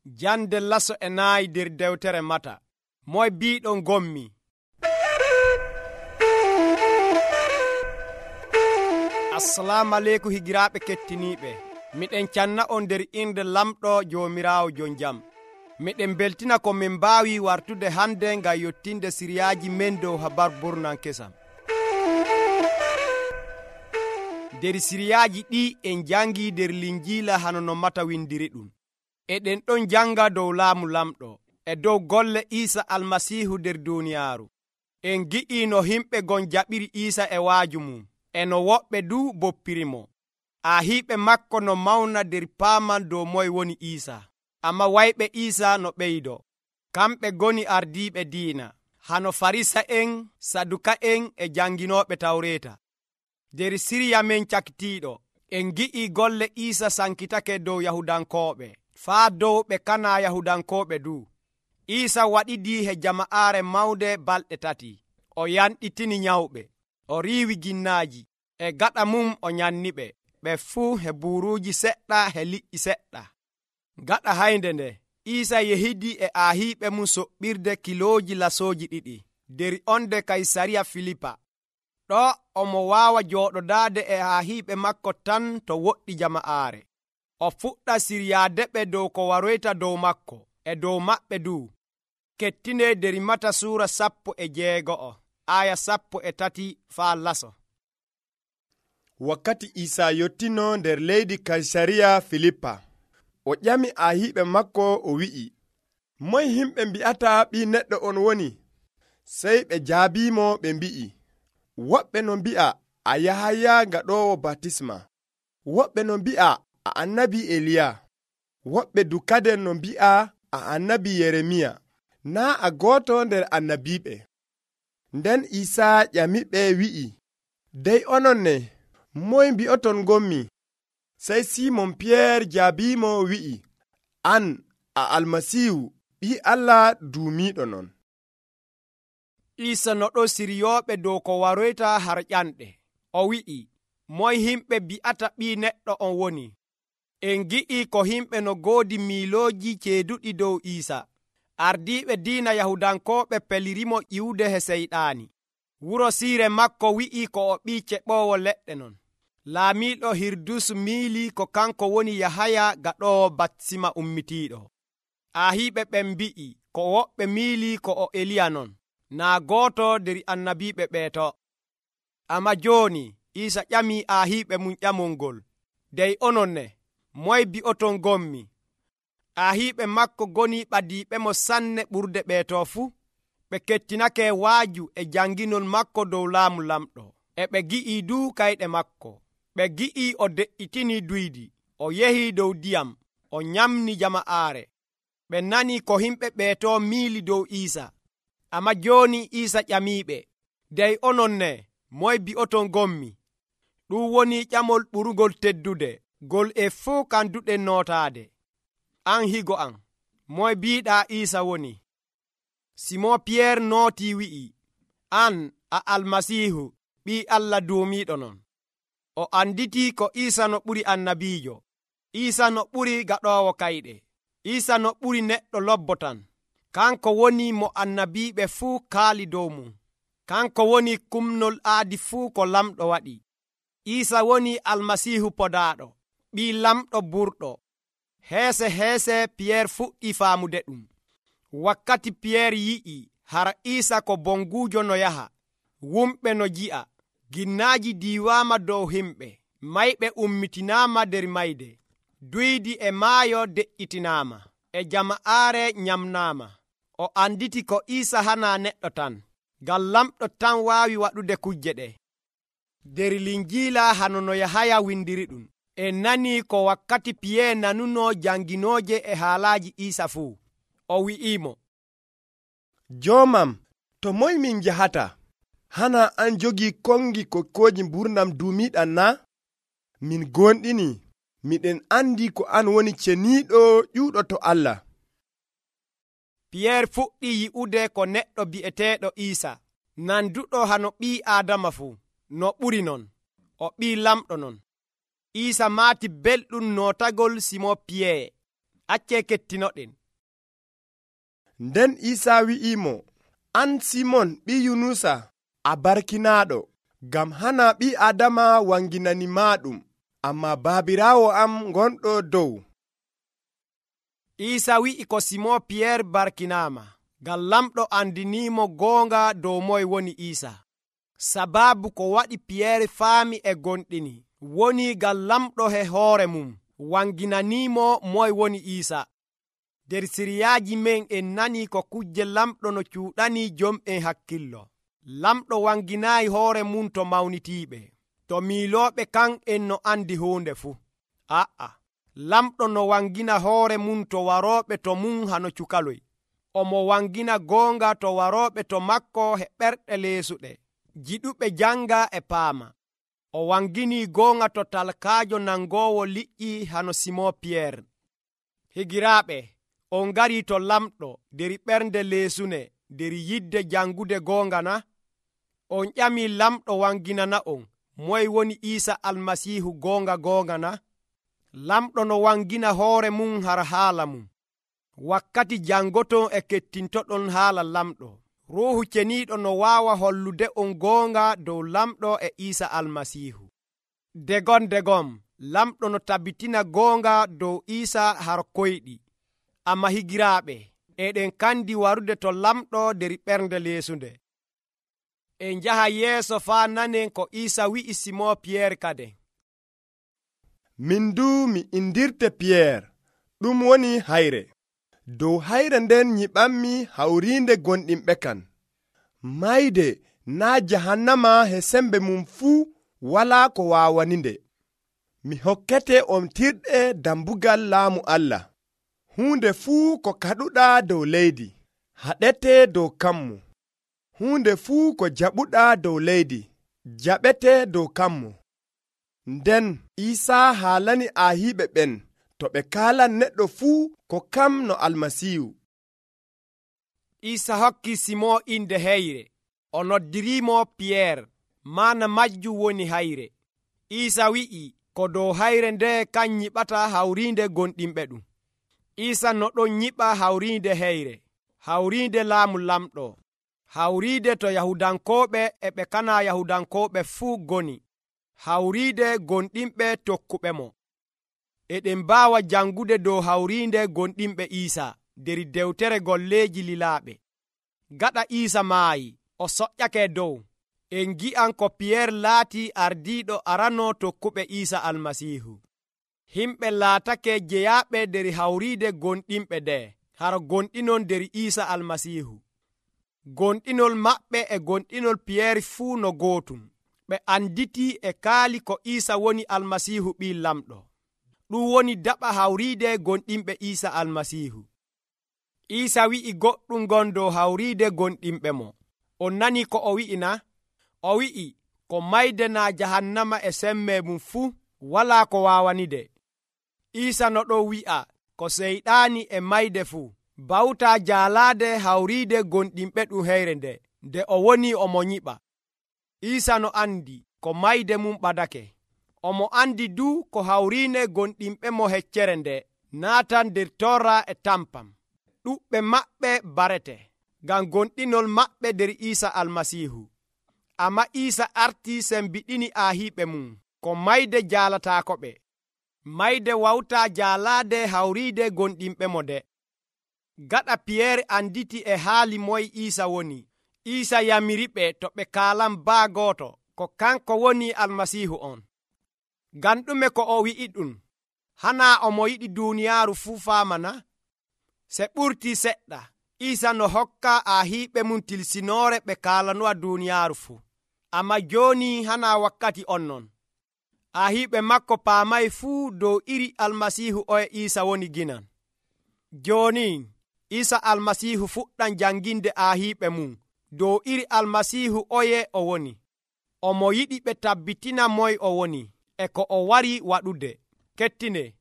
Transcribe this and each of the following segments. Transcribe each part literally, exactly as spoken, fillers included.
Jande laso e naayi nder dewtere Mata. Moy biiɗon gommi. Assalamu aleykum higiraaɓe kettiniiɓe. Miɗen canna on nder inde lamɗo Joomiraawo jon jam. Miɗen beltina ko min mbaawi wartude hande ngam yottinde siriyaaji men dow habar burnan kesam. Nder siriyaaji ɗi en jangi nder linjiila hano no Mata windiri ɗum. Eɗen ɗon janga dow laamu lamɗo e dow golle Iisa Almasiihu nder duuniyaaru. En gi'i no himɓe gon jaɓiri Iisa e waaju mum, e no woɓɓe du boppirimo. Aahiiɓe makko no mawna nder paaman dow moy woni Iisa. Amma wayɓe Iisa no ɓeydo. Kamɓe goni ardiiɓe diina, hano Farisa'en, Saduka'en e janginooɓe Tawreeta. Nder siriya men cakitiiɗo, en gi'i golle Iisa sankitake dow Yahudankooɓe, faa dow ɓe kana Yahudankooɓe du. Iisa waɗidii he jama'aare mawde balɗe tati. O yanɗitini nyawɓe, o riiwi ginnaaji, e gaɗa mum o nyanniɓe, ɓe fuu he buuruuji seɗɗa he liƴƴi seɗɗa. Gaɗa haynde nde, Iisa yehidii e aahiiɓe mum soɓɓirde kilooji lasooji ɗiɗi nder onde Kaysariya Filipa. Ɗo omo waawa jooɗodaade e aahiiɓe makko tan to woɗɗi jama'aare. O fuɗɗa siryaadeɓe dow ko waroyta dow makko e dow maɓɓe du. Kettine nder Mata suura sappo e jeego'o, aya sappo e tati faa laso. Wakkati Iisa yottino nder leydi Kaysariya Filipa, o ƴami aahiiɓe makko o wi'i, moy himɓe mbi'ata ɓii neɗɗo on woni? Sey ɓe jaabiimo ɓe mbi'i, woɓɓe no mbi'a a Yahaya gaɗoowo batisma, woɓɓe no mbi'a a annabi Eliya, woɓɓe dukaden no mbi'a a annabi Yeremiya, naa a gooto nder annabiiɓe. Nden Iisa ƴamiɓe wi'i, dey onon ne, moy mbi'oton gommi? Sey Simon Piyeer jaabiimo wi'i, an a Almasiihu, ɓii Allah duumiiɗo non. Iisa no ɗo siryooɓe dow ko waroyta har ƴanɗe. O wi'i, moy himɓe bi'ata ɓii neɗɗo on woni? En gi'i ko himɓe no goodi miilooji ceeduɗi dow Iisa. Ardiiɓe diina Yahudankooɓe pelirimo ƴiwde he seyɗaani. Wuro siire makko wi'i ko o ɓii ceɓoowo leɗɗe non. Laamiiɗo Hirdus miilii ko kanko woni Yahaya gaɗoowo batisma ummitiiɗo. Aahiiɓe ɓen mbi'i ko woɓɓe miilii ko o Eliya non, naa gooto nder annabiiɓe ɓeeto. Amma jooni Iisa ƴamii aahiiɓe mum ƴamol ngol, dey onon ne, moy bi'oton gommi? Aahiiɓe makko goni ɓadiiɓemo sanne ɓurde ɓeeto fuu. Ɓe kettinake waaju e janginol makko dow laamu lamɗo, e ɓe gi'ii du kayɗe makko. Ɓe gi'ii o de'itinii duydi, o yehii dow diyam, o nyamni jama'aare. Ɓe nanii ko himɓe ɓeeto miili dow Iisa. Amma jooni Iisa ƴamiiɓe, dey onon ne, moy bi'oton gommi? Ɗum woni ƴamol ɓurugol teddude, gol e fuu kanduɗen nootaade. An higo am, moy biiɗaa Iisa woni? Simon Piyeer nootii wi'i, an a Almasiihu, ɓii Allah duumiiɗo non. O anditii ko Iisa no ɓuri annabiijo. Iisa no ɓuri gaɗoowo kayɗe. Iisa no ɓuri neɗɗo lobbotan. Kanko woni mo annabiiɓe fuu kaali dow mum. Kanko woni kumnol aadi fuu ko lamɗo waɗi. Iisa woni Almasiihu podaaɗo, ɓii lamɗo burɗo. Heese heese Piyeer fuɗɗii faamude ɗum. Wakkati Piyeer yi'i hara Iisa ko bonguujo no yaha, wumɓe no ji'a, ginnaaji diiwaama dow himɓe, mayɓe ummitinaama nder mayde, duydi e maayo de'itinaama, e jama'aare nyamnaama. O anditi ko Iisa hanaa neɗɗo tan, ngam lamɗo tan waawi waɗude kujje ɗe. Nder linjiila hano no Yahaya windiri ɗum, en nanii ko wakkati Piyeer nanunoo janginooje e haalaaji Iisa fuu. O wi'iimo, joomam, to moy min njahata? Hana an jogii kongi kokkooji mburnam duumiiɗam na? Min gonɗini, miɗen andi ko an woni ceniiɗo ƴuuɗo to Allah. Piyeer fuɗɗi yi'ude ko neɗɗo bi'eteeɗo Iisa, nanduɗo hano ɓii Aadama fuu, no ɓuri non, o ɓii lamɗo non. Iisa maati belɗum nootagol Simon Piyeer. Accee kettinoɗen. Nden Iisaa wi'imo, an Simon ɓi Yunusa, a barkinaaɗo, ngam hana ɓi Adama wanginani maaɗum, amma Baabiraawo am gonɗo dow. Iisaa wi'i ko Simon Piyeer barkinaama, ngam lamɗo andiniimo goonga dow moye woni Iisaa. Sabaabu ko waɗi Piyeer faami e gonɗini woni ngam lamɗo he hoore mum wanginaniimo moye woni Iisaa. Der siriyaaji men en nani ko kujje lamɗo no cuuɗanii jom'en hakkillo. Lamɗo wanginaayi hoore mum to mawnitiiɓe, to miilooɓe kan en no andi huunde fuu. A'a, lamɗo no wangina hoore mum to warooɓe to mum hano cukaloy. Omo wangina goonga to warooɓe to makko he ɓerɗe leesuɗe, jiɗuɓe janga e paama. O wanginii goonga to talkaajo nangoowo liƴƴi hano Simon Piyeer. Higiraaɓe, on ngarii to lamɗo der ɓernde leesune der yidde jangude goonga na? On ƴamii lamɗo wanginana on moye woni Iisa Almasiihu goonga goonga na? Lamɗo no wangina hoore mum har haala mum. Wakkati jangoton e kettintoɗon haala lamɗo, Ruuhu Ceniiɗo no waawa hollude on goonga dow lamɗo e Iisa Almasiihu. Degom degom, lamɗo no tabbitina goonga dow Iisa har koyɗi. Amma higiraaɓe, eɗen kandi warude to lamɗo der ɓernde leesunde. En njaha yeeso faa nanen ko Iisa wi'i Simon Piyeer kade. Min du mi indirte Piyeer, ɗum woni hayre. Dow hayre nden nyiɓammi hawriinde gonɗinɓe kan. Mayde naa jahannama he sembe mum fuu walaa ko waawaninde. Mi hokkete on tirɗe dambugal laamu Allah. Huunde fuu ko kaɗuɗaa dow leydi, haɗete dow kammu. Huunde fuu ko jaɓuɗaa dow leydi, jaɓete dow kammu. Nden Iisaa haalani aahiɓe ɓen to ɓe kaalan neɗɗo fuu ko kam no Almasiihu. Iisaa hokki Simon inde heyre, o noddiriimo Piyeer, maana majjum woni hayre. Iisaa wi'i ko dow hayre nde kan nyiɓata hawriinde gonɗinɓe ɗum. Iisaa no ɗon nyiɓa hawriinde heyre, hawriinde laamu lamɗo, hawriide to Yahudankooɓe e ɓe kana Yahudankooɓe fuu goni, hawriide gonɗinɓe tokkuɓe mo. Eɗen mbaawa jangude dow hawriinde gonɗinɓe Iisaa der dewtere golleeji lilaaɓe. Gaɗa Iisaa maayi, o soƴƴake dow. En ngi'an ko Piyeer laati ardiiɗo arano tokkuɓe Iisaa Almasiihu. Himɓe laatake jeyaaɓe der hawriide gonɗinɓe nde har gonɗinon der Iisaa Almasiihu. Gonɗinol maɓɓe e gonɗinol Piyeer fuu no gootum. Ɓe anditi e kaali ko Iisaa woni Almasiihu ɓii lamɗo. Ɗum woni daɓa hawriide gonɗinɓe Iisaa Almasiihu. Iisaa wi'i goɗɗum gon dow hawriide gonɗinɓe mo. On nani ko o wi'i na? O wi'i ko mayde naa jahannama e semme mum fuu walaa ko waawanide. Iisaa no ɗon wi'a ko seyɗaani e mayde fuu bawtaa jaalaade hawriide gonɗinɓe ɗum heyre nde, nde o woni omo nyiɓa. Iisaa no andi ko mayde mum ɓadake. Omo andi du ko hawriine gonɗinɓe mo heccere nde naatan der torra e tampam. Ɗuɓɓe maɓɓe barete, ngam gonɗinol maɓɓe der Iisaa Almasiihu. Amma Iisaa artii sembiɗini aahiiɓe mum ko mayde jaalataakoɓe. Mayde wawtaa jaalaade hawriide gonɗinɓe mo nde. Gaɗa Piyeer anditi e haali moye Iisaa woni, Iisaa yamiriɓe to ɓe kaalan baa gooto ko kanko woni Almasiihu on. Ngam ɗume ko o wi'i ɗum? Hanaa omo yiɗi duuniyaaru fuu faamana? Se ɓurtii seɗɗa, Iisaa no hokka aahiiɓe mum tilsinoore ɓe kaalanowa duuniyaaru fuu. Amma jooni hanaa wakkati on non. Aahiiɓe makko paamay fuu dow iri Almasiihu oye Iisaa woni ginan. Jooni Iisaa Almasiihu fuɗɗan janginde aahiiɓe mum dow iri Almasiihu oye o woni. Omo yiɗi ɓe tabbitina moye o woni e ko o wari waɗude. Kettine.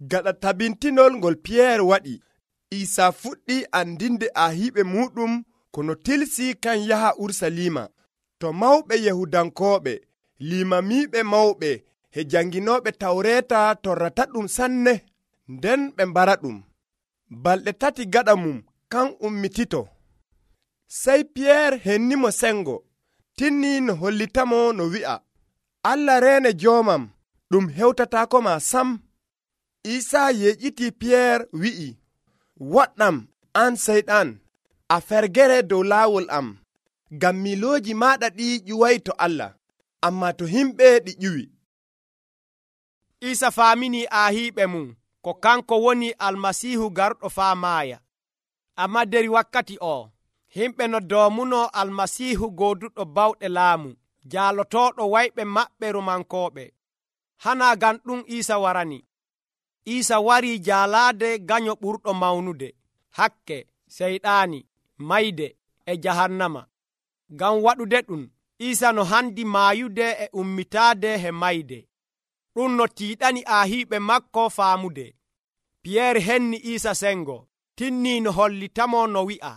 Gaɗa tabintinol ngol Piyeer waɗi, Iisaa fuɗɗi andinde aahiiɓe muɗum kono tilsi kan yaha Urusalima to mawɓe Yahudankooɓe, limamiiɓe mawɓe he janginooɓe Tawreeta torrata ɗum sanne. nden ɓe mbara ɗum. Balɗe tati gaɗa mum kan ummitito. Sey Piyeer hennimo sengo, tinni no hollitamo no wi'a, Allah reene joomam, ɗum hewtataako ma sam. Iisaa yeƴƴiti Piyeer wi'i, woɗɗam an Seyɗan, a fergere dow laawol am, ngam miilooji maaɗa ɗi ƴuway to Allah, ammaa to himɓe ɗi ƴuwi. Iisa faamini aahiiɓe mum ko kanko woni Almasiihu garɗo faa maaya. Ammaa der wakkati o, himɓe no doomuno Almasiihu gooduɗo bawɗe laamu, jaalotooɗo wayɓe maɓɓe Romankooɓe. Hanaa ngam ɗum Iisa warani. Iisa warii jaalaade ganyo ɓurɗo mawnude, hakke, seyɗaani, mayde e jahannama. Ngam waɗude ɗum, Iisa no handi maayude e ummitaade he mayde. Ɗum no tiiɗani aahiiɓe makko faamude. Piyeer henni Iisa sengo, tinnii no hollitamo no wi'a,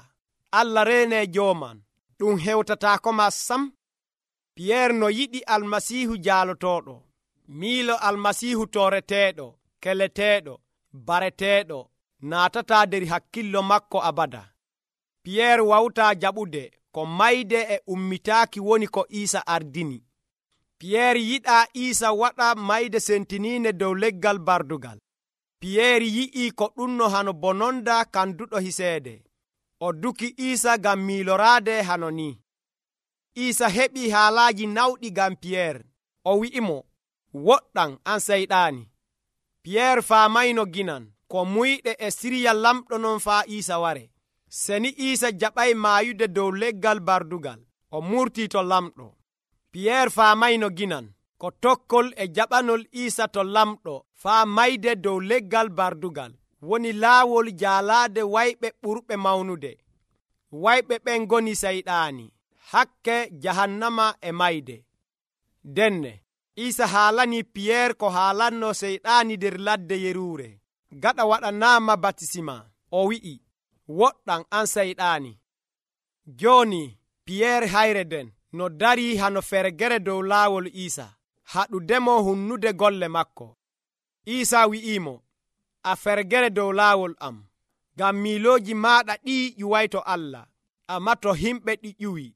Allah reene jooman, ɗum hewtataako ma sam. Piyeer no yiɗi Almasiihu jaalotooɗo, miilo Almasiihu tooreteeɗo, keleteeɗo, bareteeɗo, naatataa der hakkillo makko abada. Piyeer wawtaa jaɓude ko mayde e ummitaaki woni ko Iisa ardini. Piyeer yiɗaa Iisa waɗa mayde sentiniinde dow leggal bardugal. Piyeer yi'ii ko ɗumno hano bononda kanduɗo hiseede. O duki Iisa ngam miiloraade hano ni. Iisa heɓii haalaaji nawɗi ngam Piyeer. O wi'imo, woɗɗam an Seyɗaani. Piyeer faamayno ginan ko muyɗe e sirya lamɗo non faa Iisa ware. Seni Iisa jaɓay maayude dow leggal bardugal, o murtii to lamɗo. Piyeer faamayno ginan ko tokkol e jaɓanol Iisa to lamɗo faa mayde dow leggal bardugal woni laawol jaalaade wayɓe ɓurɓe mawnude. Wayɓe ɓen ngoni Seyɗaani, hakke, jahannama e mayde. Denne Iisa haalanii Piyeer ko haalanno Seyɗaani der ladde yeruure. Gaɗa waɗanaama batisima, o wi'i, woɗɗam an Seyɗaani. Jooni Piyeer hayre den no darii hano fergere dow laawol Iisa, haɗudemo hunnude golle makko. Iisa wi'iimo, a fergere dow laawol am, ngam miilooji maaɗa ɗii ƴuway to Allah, ammaa to himɓe ɗi ƴuwi.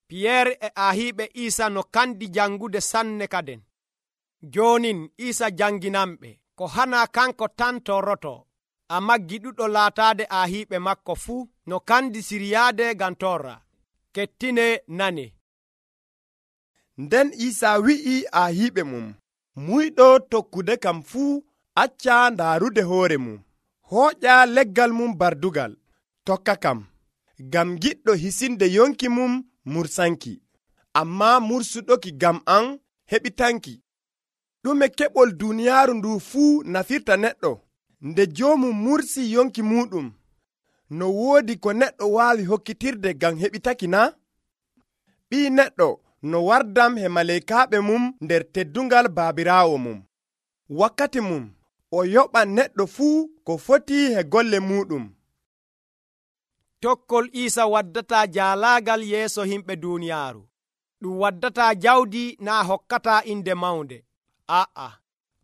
Piyeer e aahiiɓe Iisa no kandi jangude sanne kaden. Joonin Iisa janginanɓe ko hanaa kanko tan torroto, ammaa giɗuɗo laataade aahiiɓe makko fuu no kandi siryaade ngam torra. Kettine nane. Nden Iisa wi'i aahiiɓe mum, muyɗo tokkude kam fuu acca ndaarude hoore mum, hooƴa leggal mum bardugal, tokka kam, ngam giɗɗo hisinde yonki mum mursanki, ammaa mursuɗoki ngam an heɓitanki. Ɗume keɓol duuniyaaru ndu fuu nafirta neɗɗo, nde joomum mursi yonki muɗum, no woodi ko neɗɗo waawi hokkitirde ngam heɓitaki na? Ɓii neɗɗo no wardam he maleykaaɓe mum nder teddungal baabiraawo mum. Wakkati mum o yoɓan neɗɗo fuu ko foti he golle muɗum. Tokkol Iisa waddataa jaalaagal yeeso himɓe duuniyaaru. Ɗum waddataa jawdi naa hokkataa inde mawnde. Aa,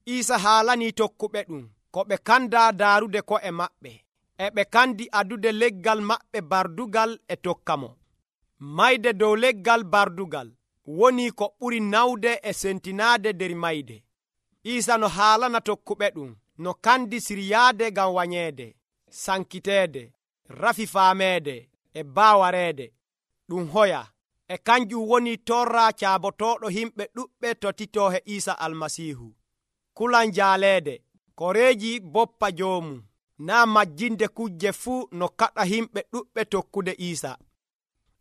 Iisa haalanii tokkuɓe ɗum ko ɓe kandaa daarude ko'e maɓɓe, e ɓe kandi adude leggal maɓɓe bardugal e tokka mo. Mayde dow leggal bardugal woni ko ɓuri nawde e sentinaade der mayde. Iisa no haalana tokkuɓe ɗum no kandi siryaade ngam wanyeede, sankiteede, rafi faameede e baawareede. Ɗum hoya e kanjum woni torra caabotooɗo himɓe ɗuɓɓe totitoo he Iisa Almasiihu. Kulan jaaleede, koreeji boppa joomum, naa majjinde kujje fuu no kaɗa himɓe ɗuɓɓe tokkude Iisa.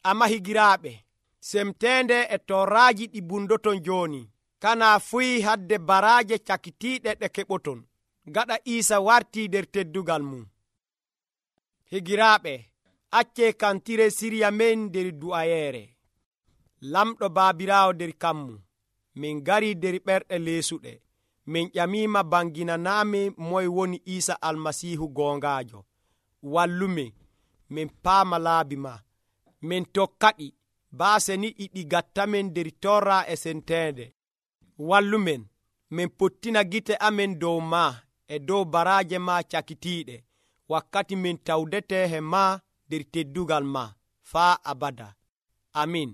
Amma higiraaɓe, semteende e torraaji ɗi bundoton jooni, kana fuyi hadde baraaje cakitiiɗe ɗe keɓoton, gaɗa Iisa wartii der teddugal mum. Higiraaɓe, accee kantire sirya men der du'ayeere. Lamɗo Baabiraawo der kammu, min garii der ɓerɗe leesuɗe, min ƴamiima banginanaami moye woni Iisa Almasiihu goongaajo. Wallumin, min paama laabi ma, min tokkaɗi, baase ni ɗiɗi gattamen der torra e senteende. Wallumen, min pottina gite amen dow maa e dow baraaje ma cakitiiɗe wakkati min tawdete he ma nder teddugal ma faa abada. Amin.